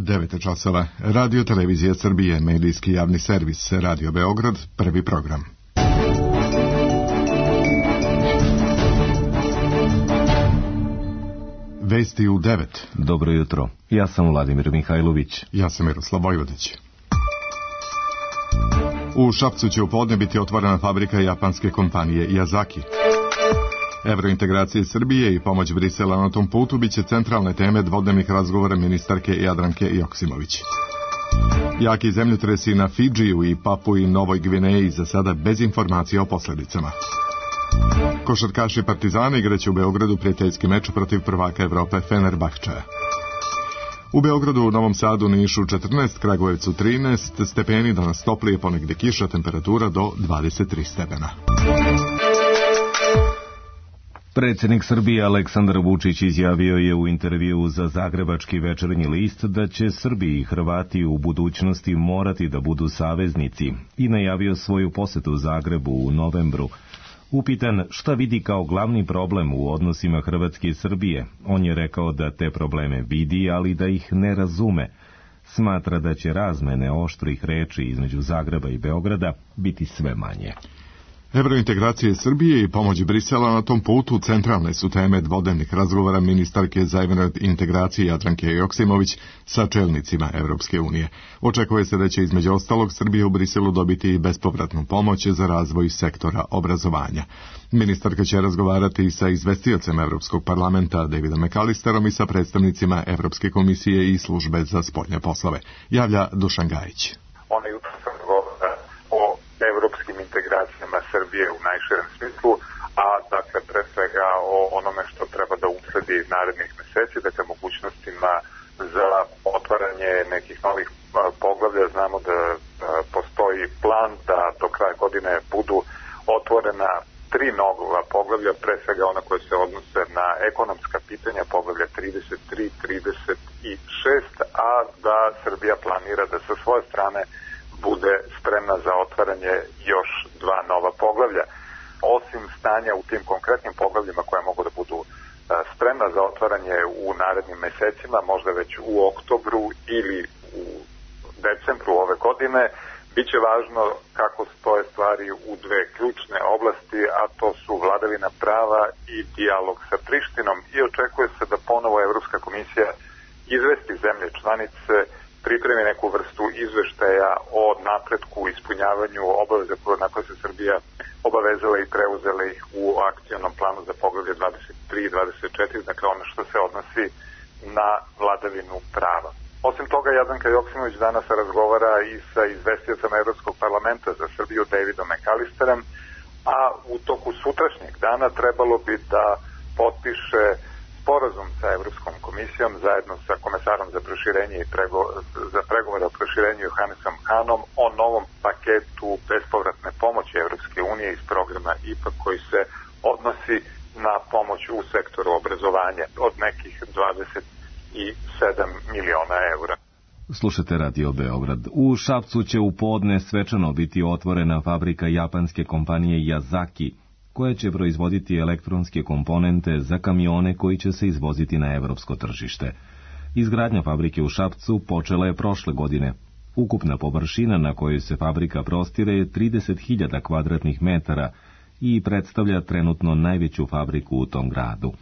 9 časova. Radio Televizija Srbije, medijski javni servis, Radio Beograd, prvi program. Vesti u 9. Dobro jutro. Ja sam Vladimir Mihajlović. Ja sam Miroslav Vojvodić. U Šapcu će u podne biti otvorena fabrika japanske kompanije Yazaki. Evrointegracije Srbije i pomoć Brisela na tom putu biće centralne teme dvodnevnih razgovora ministarke Jadranke Joksimović. Jaki zemljotresi na Fidžiju i Papui Novoj Gvineji za sada bez informacija o posledicama. Košarkaši Partizana igraće u Beogradu prijateljski meč protiv prvaka Evrope Fenerbahčeja. U Beogradu, Novom Sadu, Nišu 14, Kragujevcu 13 stepeni, danas toplije, ponegde kiša, temperatura do 23 stepena. Predsjednik Srbije Aleksandar Vučić izjavio je u intervjuu za Zagrebački večernji list da će Srbi i Hrvati u budućnosti morati da budu saveznici i najavio svoju posetu Zagrebu u novembru. Upitan šta vidi kao glavni problem u odnosima Hrvatske i Srbije, on je rekao da te probleme vidi, ali da ih ne razume. Smatra da će razmene oštrih reči između Zagreba i Beograda biti sve manje. Evrointegracije Srbije i pomoć Brisela na tom putu centralne su teme dvodnevnih razgovora ministarke za evrointegracije Jadranke Joksimović sa čelnicima Evropske unije. Očekuje se da će između ostalog Srbija u Briselu dobiti i bespovratnu pomoć za razvoj sektora obrazovanja. Ministarka će razgovarati i sa izvestiocem Evropskog parlamenta Davidom McAllisterom i sa predstavnicima Evropske komisije i službe za spoljne poslove. Javlja Dušan Gajić. Evropskim integracijama Srbije u najširem smislu, a dakle pre svega o onome što treba da usledi narednih meseci, dakle mogućnostima za otvaranje nekih novih poglavlja. Znamo da postoji plan da do kraja godine budu otvorena 3 nova poglavlja, pre svega ona koje se odnose na ekonomska pitanja, poglavlja 33, 36, a da Srbija planira da sa svoje strane bude spremna za otvaranje još 2 nova poglavlja. Osim stanja u tim konkretnim poglavljima koje mogu da budu spremna za otvaranje u narednim mesecima, možda već u oktobru ili u decembru ove godine, biće važno kako stoje stvari u 2 ključne oblasti, a to su vladavina prava i dijalog sa Prištinom, i očekuje se da ponovo Evropska komisija izvesti zemlje članice, pripremi neku vrstu izveštaja o napretku u ispunjavanju obaveza na koje se Srbija obavezala i preuzela ih u akcionom planu za poglavlje 23 i 24, dakle ono što se odnosi na vladavinu prava. Osim toga, Jadranka Joksimović danas razgovara i sa izvestiocem Evropskog parlamenta za Srbiju Davidom McAllisterem, a u toku sutrašnjeg dana trebalo bi da potpiše sporazum sa Evropskom komisijom zajedno sa komesarom za proširenje i za pregovore o proširenju Johannesom Hanom o novom paketu bespovratne pomoći Evropske unije iz programa IPA koji se odnosi na pomoć u sektoru obrazovanja od nekih 27 miliona eura. Slušate Radio Beograd. U Šapcu će u podne svečano biti otvorena fabrika japanske kompanije Yazaki, koja će proizvoditi elektronske komponente za kamione koji će se izvoziti na evropsko tržište. Izgradnja fabrike u Šapcu počela je prošle godine. Ukupna površina na kojoj se fabrika prostire je 30.000 kvadratnih metara i predstavlja trenutno najveću fabriku u tom gradu.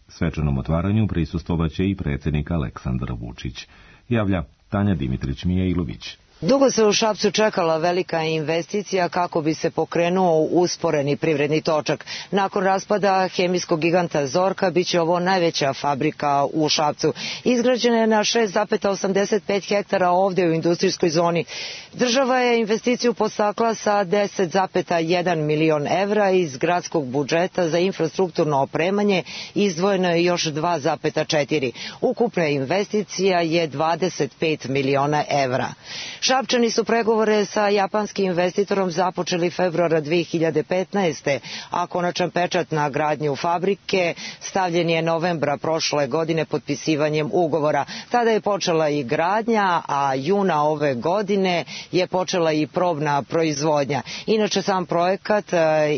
Svečanom otvaranju prisustvovaće i predsjednik Aleksandar Vučić. Javlja Tanja Dimitrić-Mijailović. Dugo se u Šapcu čekala velika investicija kako bi se pokrenuo usporeni privredni točak. Nakon raspada hemijskog giganta Zorka biće ovo najveća fabrika u Šapcu. Izgrađena je na 6,85 hektara ovdje u industrijskoj zoni. Država je investiciju podstakla sa 10,1 milion evra iz gradskog budžeta za infrastrukturno opremanje, izdvojeno je još 2,4. Ukupna investicija je 25 miliona evra. Šapčani su pregovore sa japanskim investitorom započeli februara 2015. a konačan pečat na gradnju fabrike stavljen je novembra prošle godine potpisivanjem ugovora. Tada je počela i gradnja, a juna ove godine je počela i probna proizvodnja. Inače, sam projekat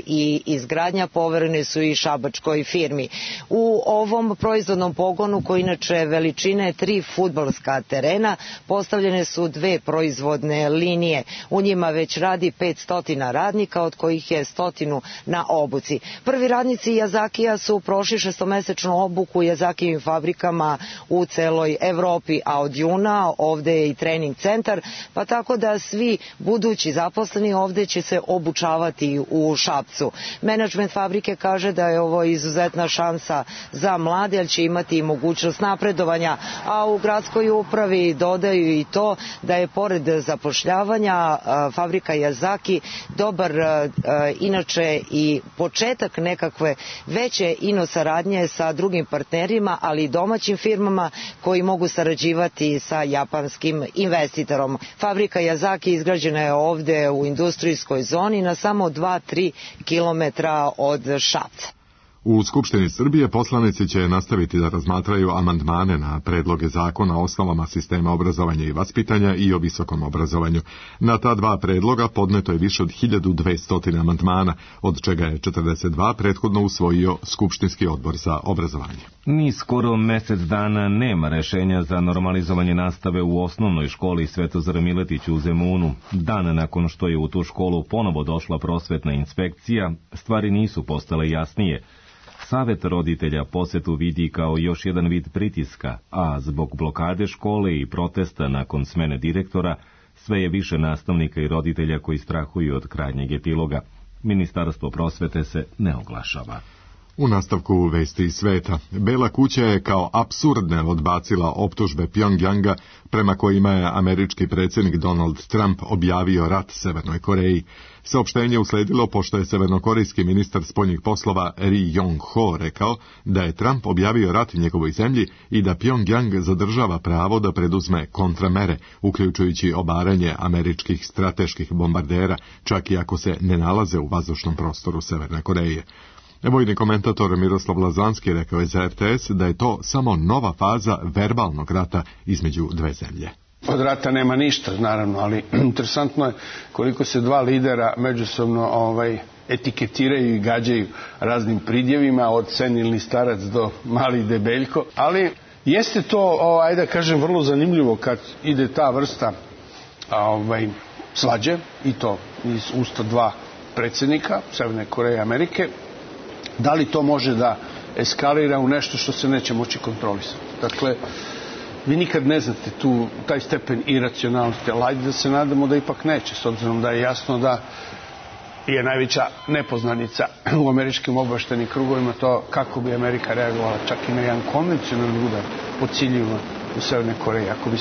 i izgradnja poverene su i šabačkoj firmi. U ovom proizvodnom pogonu, koji inače veličine 3 fudbalska terena, postavljene su 2 proizvodne linije. U njima već radi 500 radnika, od kojih je 100 na obuci. Prvi radnici Yazakija su prošli 6-mesečnu obuku u Yazakijevim fabrikama u celoj Evropi, a od juna ovde je i trening centar, pa tako da svi budući zaposleni ovde će se obučavati u Šapcu. Menadžment fabrike kaže da je ovo izuzetna šansa za mlade, jer će imati i mogućnost napredovanja, a u gradskoj upravi dodaju i to da je pored zapošljavanja fabrika Yazaki dobar inače i početak nekakve veće inosaradnje sa drugim partnerima, ali i domaćim firmama koji mogu sarađivati sa japanskim investitorom. Fabrika Yazaki izgrađena je ovde u industrijskoj zoni na samo 2-3 kilometra od Šapca. U Skupštini Srbije poslanici će nastaviti da razmatraju amandmane na predloge zakona o osnovama sistema obrazovanja i vaspitanja i o visokom obrazovanju. Na ta 2 predloga podneto je više od 1200 amandmana, od čega je 42 prethodno usvojio Skupštinski odbor za obrazovanje. Ni skoro mesec dana nema rešenja za normalizovanje nastave u osnovnoj školi Svetozar Miletić u Zemunu. Dan nakon što je u tu školu ponovo došla prosvetna inspekcija, stvari nisu postale jasnije. Savet roditelja posetu vidi kao još jedan vid pritiska, a zbog blokade škole i protesta nakon smene direktora, sve je više nastavnika i roditelja koji strahuju od krajnjeg epiloga. Ministarstvo prosvete se ne oglašava. U nastavku vesti iz sveta, Bela kuća je kao apsurdne odbacila optužbe Pjongjanga prema kojima je američki predsjednik Donald Trump objavio rat Severnoj Koreji. Saopštenje usledilo pošto je severnokorejski ministar spoljnih poslova Ri Yong-ho rekao da je Trump objavio rat njegovoj zemlji i da Pjongjang zadržava pravo da preduzme kontramere, uključujući obaranje američkih strateških bombardera, čak i ako se ne nalaze u vazdušnom prostoru Severne Koreje. Vojni komentator Miroslav Lazanski rekao je za RTS da je to samo nova faza verbalnog rata između dve zemlje. Od rata nema ništa, naravno, ali interesantno je koliko se dva lidera međusobno etiketiraju i gađaju raznim pridjevima, od senilni starac do mali debeljko, ali jeste to, ajde da kažem, vrlo zanimljivo kad ide ta vrsta svađe, i to iz usta dva predsjednika Severne Koreje i Amerike. Da li to može da eskalira u nešto što se neće moći kontrolisati? Dakle, vi nikad ne znate taj stepen iracionalnosti, ali ajde da se nadamo da ipak neće, s obzirom da je jasno da je najveća nepoznanica u američkim obavještajnim krugovima to kako bi Amerika reagovala čak i na jedan konvencionalni udar po ciljevima u Severnoj Koreji. Ako bi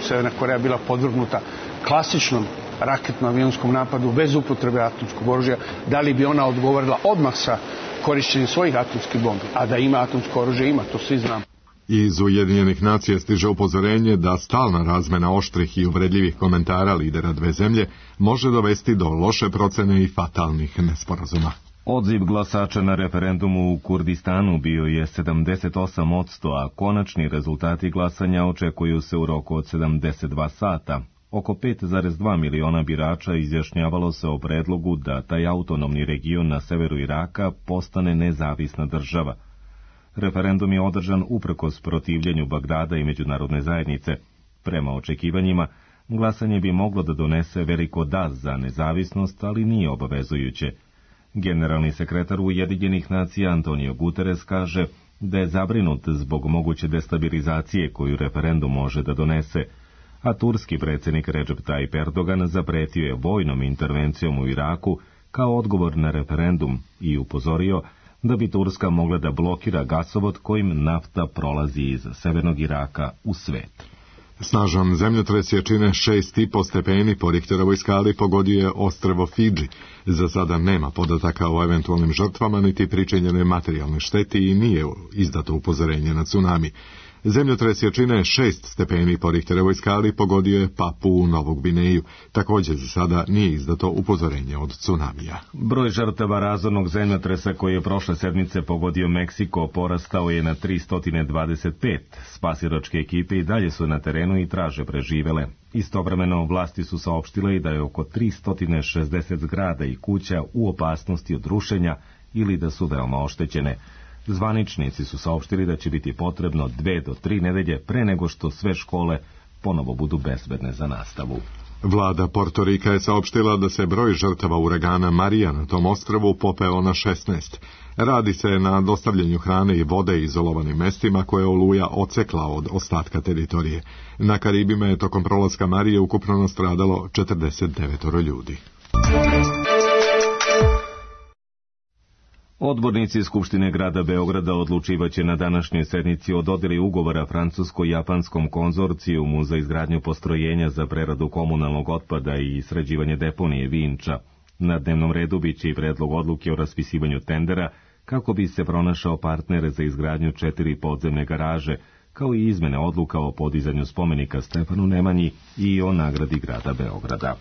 Severna Koreja bila podvrgnuta klasičnom raketno-avionskom napadu bez upotrebe atomskog oružja, da li bi ona odgovorila odmah sa korišćenjem svojih atomskih bombi? A da ima atomsko oružje, ima, to svi znamo. Iz Ujedinjenih nacija stiže upozorenje da stalna razmena oštrih i uvredljivih komentara lidera dve zemlje može dovesti do loše procene i fatalnih nesporazuma. Odziv glasača na referendumu u Kurdistanu bio je 78%, a konačni rezultati glasanja očekuju se u roku od 72 sata. Oko 5,2 miliona birača izjašnjavalo se o predlogu da taj autonomni region na severu Iraka postane nezavisna država. Referendum je održan uprkos protivljenju Bagdada i međunarodne zajednice. Prema očekivanjima, glasanje bi moglo da donese veliko da za nezavisnost, ali nije obavezujuće. Generalni sekretar Ujedinjenih nacija Antonio Guterres kaže da je zabrinut zbog moguće destabilizacije koju referendum može da donese, a turski predsjednik Recep Tayyip Erdogan zapretio je vojnom intervencijom u Iraku kao odgovor na referendum i upozorio da bi Turska mogla da blokira gasovod kojim nafta prolazi iz severnog Iraka u svet. Snažan zemljotres jačine 6,5 stepeni po Richterovoj skali pogodio je ostrvo Fidži. Za sada nema podataka o eventualnim žrtvama niti pričinjenoj materijalnoj šteti i nije izdato upozorenje na tsunami. Zemljotres jačine 6 stepeni po Richterovoj skali pogodio je Papuu Novu Gvineju. Također za sada nije izdato upozorenje od tsunamija. Broj žrtava razornog zemljotresa koji je prošle sedmice pogodio Meksiko porastao je na 325. Spasilačke ekipe i dalje su na terenu i traže preživele. Istovremeno vlasti su saopštile i da je oko 360 zgrada i kuća u opasnosti od rušenja ili da su veoma oštećene. Zvaničnici su saopštili da će biti potrebno 2 do 3 nedelje pre nego što sve škole ponovo budu bezbedne za nastavu. Vlada Portorika je saopštila da se broj žrtava uragana Marija na tom ostrvu popeo na 16. Radi se na dostavljanju hrane i vode izolovanim mestima koje je oluja odsekla od ostatka teritorije. Na Karibima je tokom prolaska Marije ukupno nastradalo 49 ljudi. Odbornici Skupštine grada Beograda odlučivaće na današnjoj sednici o dodeli ugovora francusko-japanskom konzorcijumu za izgradnju postrojenja za preradu komunalnog otpada i sređivanje deponije Vinča. Na dnevnom redu biće i predlog odluke o raspisivanju tendera kako bi se pronašao partnere za izgradnju 4 podzemne garaže, kao i izmene odluka o podizanju spomenika Stefanu Nemanji i o nagradi grada Beograda.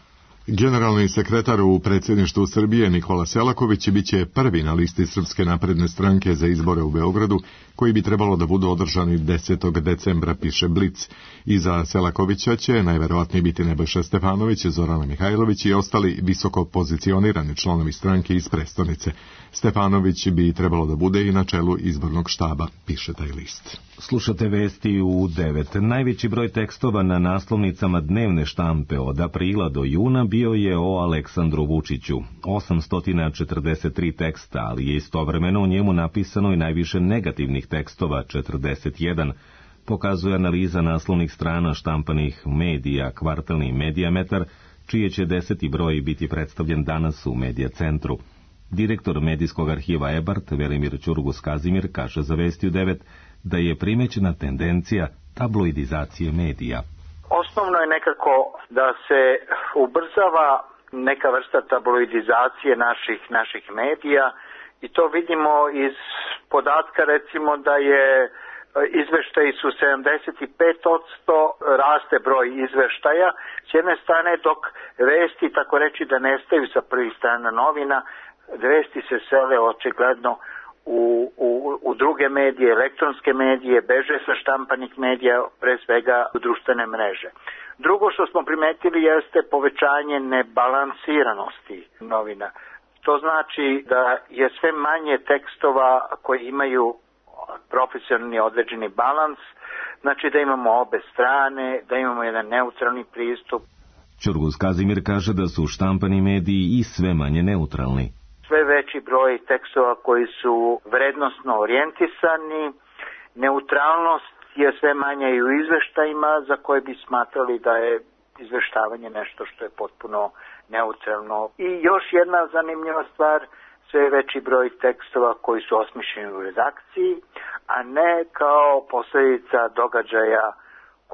Generalni sekretar u predsjedništvu Srbije Nikola Selaković biće prvi na listi Srpske napredne stranke za izbore u Beogradu, koji bi trebalo da budu održani 10. decembra, piše Blic. Iza Selakovića će najverovatnije biti Nebojša Stefanović, Zorana Mihajlović i ostali visoko pozicionirani članovi stranke iz prestonice. Stefanović bi trebalo da bude i na čelu izbornog štaba, piše taj list. Slušate vesti u 9. Najveći broj tekstova na naslovnicama dnevne štampe od aprila do juna bio je o Aleksandru Vučiću. 843 teksta, ali je istovremeno u njemu napisano i najviše negativnih tekstova, 41, pokazuje analiza naslovnih strana štampanih medija Kvartalni Medijametar, čije će 10. broj biti predstavljen danas u Medija centru. Direktor medijskog arhiva Ebart, Velimir Ćurgus-Kazimir, kaže za Vesti u 9 da je primećena tendencija tabloidizacije medija. Osnovno je nekako da se ubrzava neka vrsta tabloidizacije naših medija i to vidimo iz podatka recimo da je izveštaji su 75%, raste broj izveštaja s jedne strane, dok vesti, tako reći da nestaju sa prvih strana novina, vesti se sele očigledno u druge medije, elektronske medije, beže sa štampanih medija, pre svega u društvene mreže. Drugo što smo primetili jeste povećanje nebalansiranosti novina. To znači da je sve manje tekstova koji imaju profesionalni određeni balans, znači da imamo obe strane, da imamo jedan neutralni pristup. Ćurgus-Kazimir kaže da su štampani mediji i sve manje neutralni. Sve veći broj tekstova koji su vrednosno orijentisani, neutralnost je sve manja i u izveštajima za koje bi smatrali da je izveštavanje nešto što je potpuno neutralno. I još jedna zanimljiva stvar, sve veći broj tekstova koji su osmišljeni u redakciji, a ne kao posljedica događaja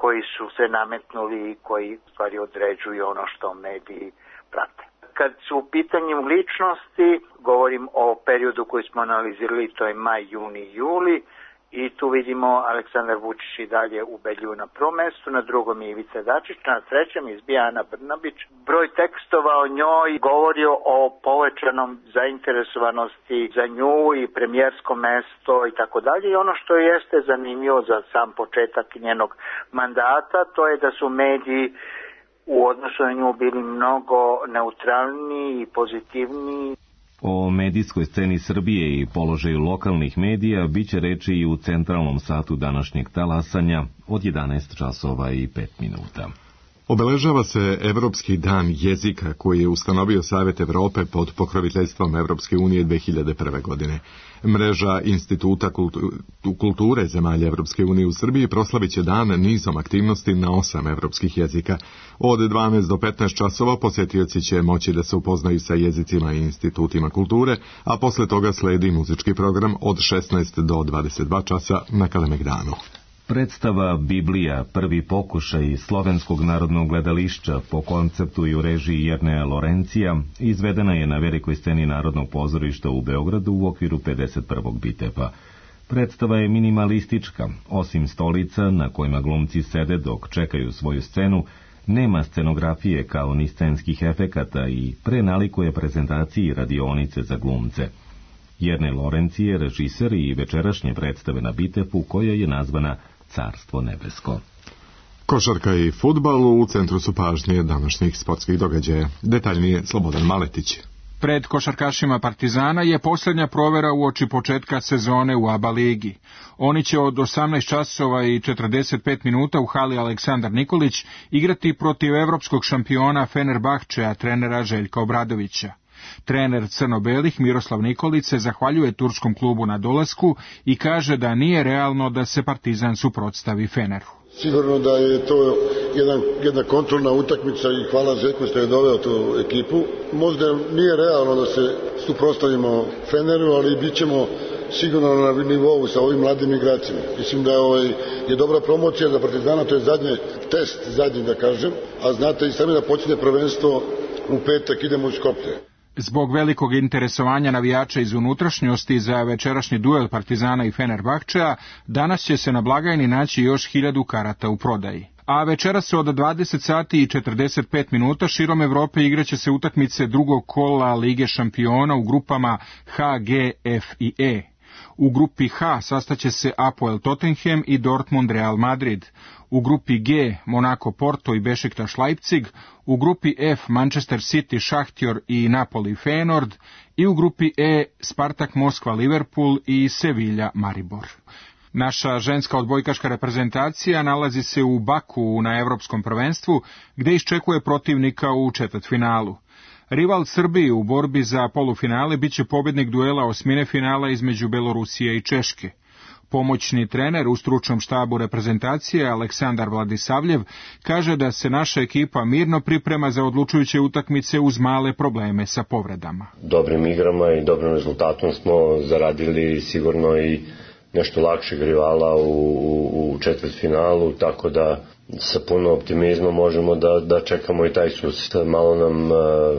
koji su se nametnuli i koji u stvari određuju ono što mediji prate. Kad su u pitanju ličnosti, govorim o periodu koji smo analizirali, to je maj, juni, juli, i tu vidimo Aleksandar Vučić i dalje ubedljivo na prvom mestu, na drugom je Ivica Dačić, na trećem izbija Ana Brnabić. Broj tekstova o njoj govori o povećanom zainteresovanosti za nju i premijersko mesto i tako dalje. I ono što jeste zanimljivo za sam početak njenog mandata, to je da su mediji u odnosu na nju bili mnogo neutralniji i pozitivniji. O medijskoj sceni Srbije i položaju lokalnih medija biće reči i u centralnom satu današnjeg talasanja od 11 časova i 5 minuta. Obeležava se Evropski dan jezika koji je ustanovio Savet Evrope pod pokroviteljstvom Evropske unije 2001. godine. Mreža Instituta kulture zemalja Evropske unije u Srbiji proslavit će dan nizom aktivnosti na 8 evropskih jezika. Od 12 do 15 časova posjetioci će moći da se upoznaju sa jezicima i institutima kulture, a posle toga sledi muzički program od 16 do 22 časa na Kalemegdanu. Predstava Biblija, prvi pokušaj Slovenskog narodnog gledališća po konceptu i u režiji Jerneja Lorencija, izvedena je na velikoj sceni Narodnog pozorišta u Beogradu u okviru 51. Bitepa. Predstava je minimalistička, osim stolica na kojima glumci sede dok čekaju svoju scenu, nema scenografije kao ni scenskih efekata i prenalikuje prezentaciji radionice za glumce. Jerne Lorenci je režiser i večerašnje predstave na Bitefu koja je nazvana Carstvo nebesko. Košarka i fudbal u centru su pažnje današnjih sportskih događaja. Detaljnije Slobodan Maletić. Pred košarkašima Partizana je posljednja provera uoči početka sezone u ABA ligi. Oni će od 18 časova i 45 minuta u hali Aleksandar Nikolić igrati protiv evropskog šampiona Fenerbahčeja trenera Željka Obradovića. Trener crno-belih Miroslav Nikolić se zahvaljuje turskom klubu na dolasku i kaže da nije realno da se Partizan suprotstavi Feneru. Sigurno da je to jedna kontrolna utakmica i hvala Željku što je doveo tu ekipu. Možda nije realno da se suprotstavimo Feneru, ali bit ćemo sigurno na nivou sa ovim mladim igračima. Mislim da je dobra promocija za Partizana, to je zadnji da kažem, a znate i sami da počne prvenstvo u petak, idemo u Skoplje. Zbog velikog interesovanja navijača iz unutrašnjosti za večerašnji duel Partizana i Fenerbahčeja, danas će se na blagajni naći još 1000 karata u prodaji. A večeras se od 20 sati i 45 minuta širom Evrope igraće se utakmice drugog kola Lige šampiona u grupama H, G, F i E. U grupi H sastaće se Apoel Tottenham i Dortmund Real Madrid. U grupi G Monaco Porto i Bešiktaš Leipzig, u grupi F Manchester City Šahtjor i Napoli Feyenoord i u grupi E Spartak Moskva Liverpool i Sevilla Maribor. Naša ženska odbojkaška reprezentacija nalazi se u Baku na Evropskom prvenstvu, gdje iščekuje protivnika u četvrtfinalu. Rival Srbiji u borbi za polufinale biće pobjednik duela osmine finala između Belorusije i Češke. Pomoćni trener u stručnom štabu reprezentacije Aleksandar Vladisavljev kaže da se naša ekipa mirno priprema za odlučujuće utakmice uz male probleme sa povredama. Dobrim igrama i dobrim rezultatom smo zaradili sigurno i nešto lakšeg rivala u četvrtfinalu, tako da sa puno optimizma možemo da čekamo i taj susret. Malo nam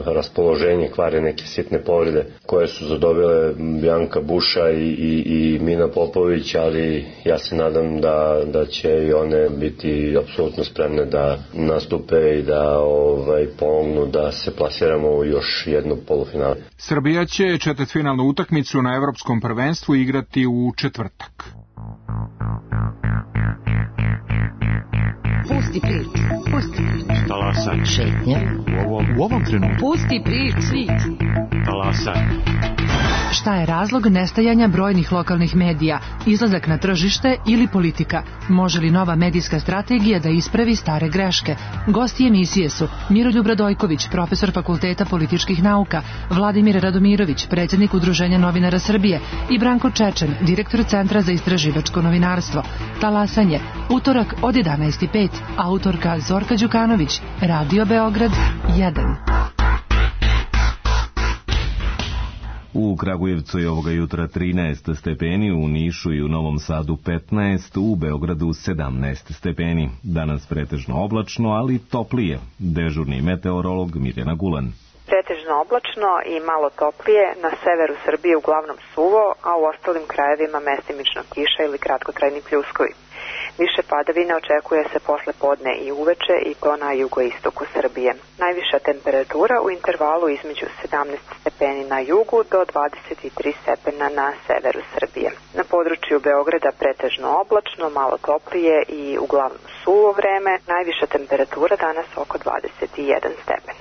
raspoloženje kvare neke sitne povrede koje su zadobile Bjanka Buša i Mina Popović, ali ja se nadam da će i one biti apsolutno spremne da nastupe i da pomognu da se plasiramo u još jednu polufinale. Srbija će četvrtfinalnu utakmicu na Evropskom prvenstvu igrati u četvrtak. Pusti priču. Talasaj. Šetnja. U ovom trenutku. Pusti priču. Talasaj. Šta je razlog nestajanja brojnih lokalnih medija, izlazak na tržište ili politika? Može li nova medijska strategija da ispravi stare greške? Gosti emisije su Miroljub Radojković, profesor Fakulteta političkih nauka, Vladimir Radomirović, predsjednik Udruženja novinara Srbije i Branko Čečen, direktor Centra za istraživačko novinarstvo. Talasanje, utorak od 11:05, autorka Zorka Đukanović, Radio Beograd 1. U Kragujevcu je ovoga jutra 13 stepeni, u Nišu i u Novom Sadu 15, u Beogradu 17 stepeni. Danas pretežno oblačno, ali toplije. Dežurni meteorolog Mirjana Gulan. Pretežno oblačno i malo toplije, na severu Srbije uglavnom suvo, a u ostalim krajevima mestimično kiša ili kratkotrajni pljuskovi. Više padavina očekuje se posle podne i uveče i to na jugoistoku Srbije. Najviša temperatura u intervalu između 17 stepeni na jugu do 23 stepena na severu Srbije. Na području Beograda pretežno oblačno, malo toplije i uglavnom suvo vreme. Najviša temperatura danas oko 21 stepen.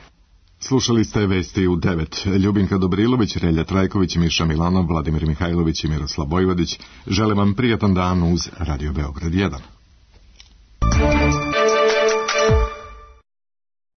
Slušali ste vesti u 9. Ljubinka Dobrilović, Relja Trajković, Miša Milanov, Vladimir Mihajlović i Miroslav Bojvodić. Želim vam prijatan dan uz Radio Beograd 1.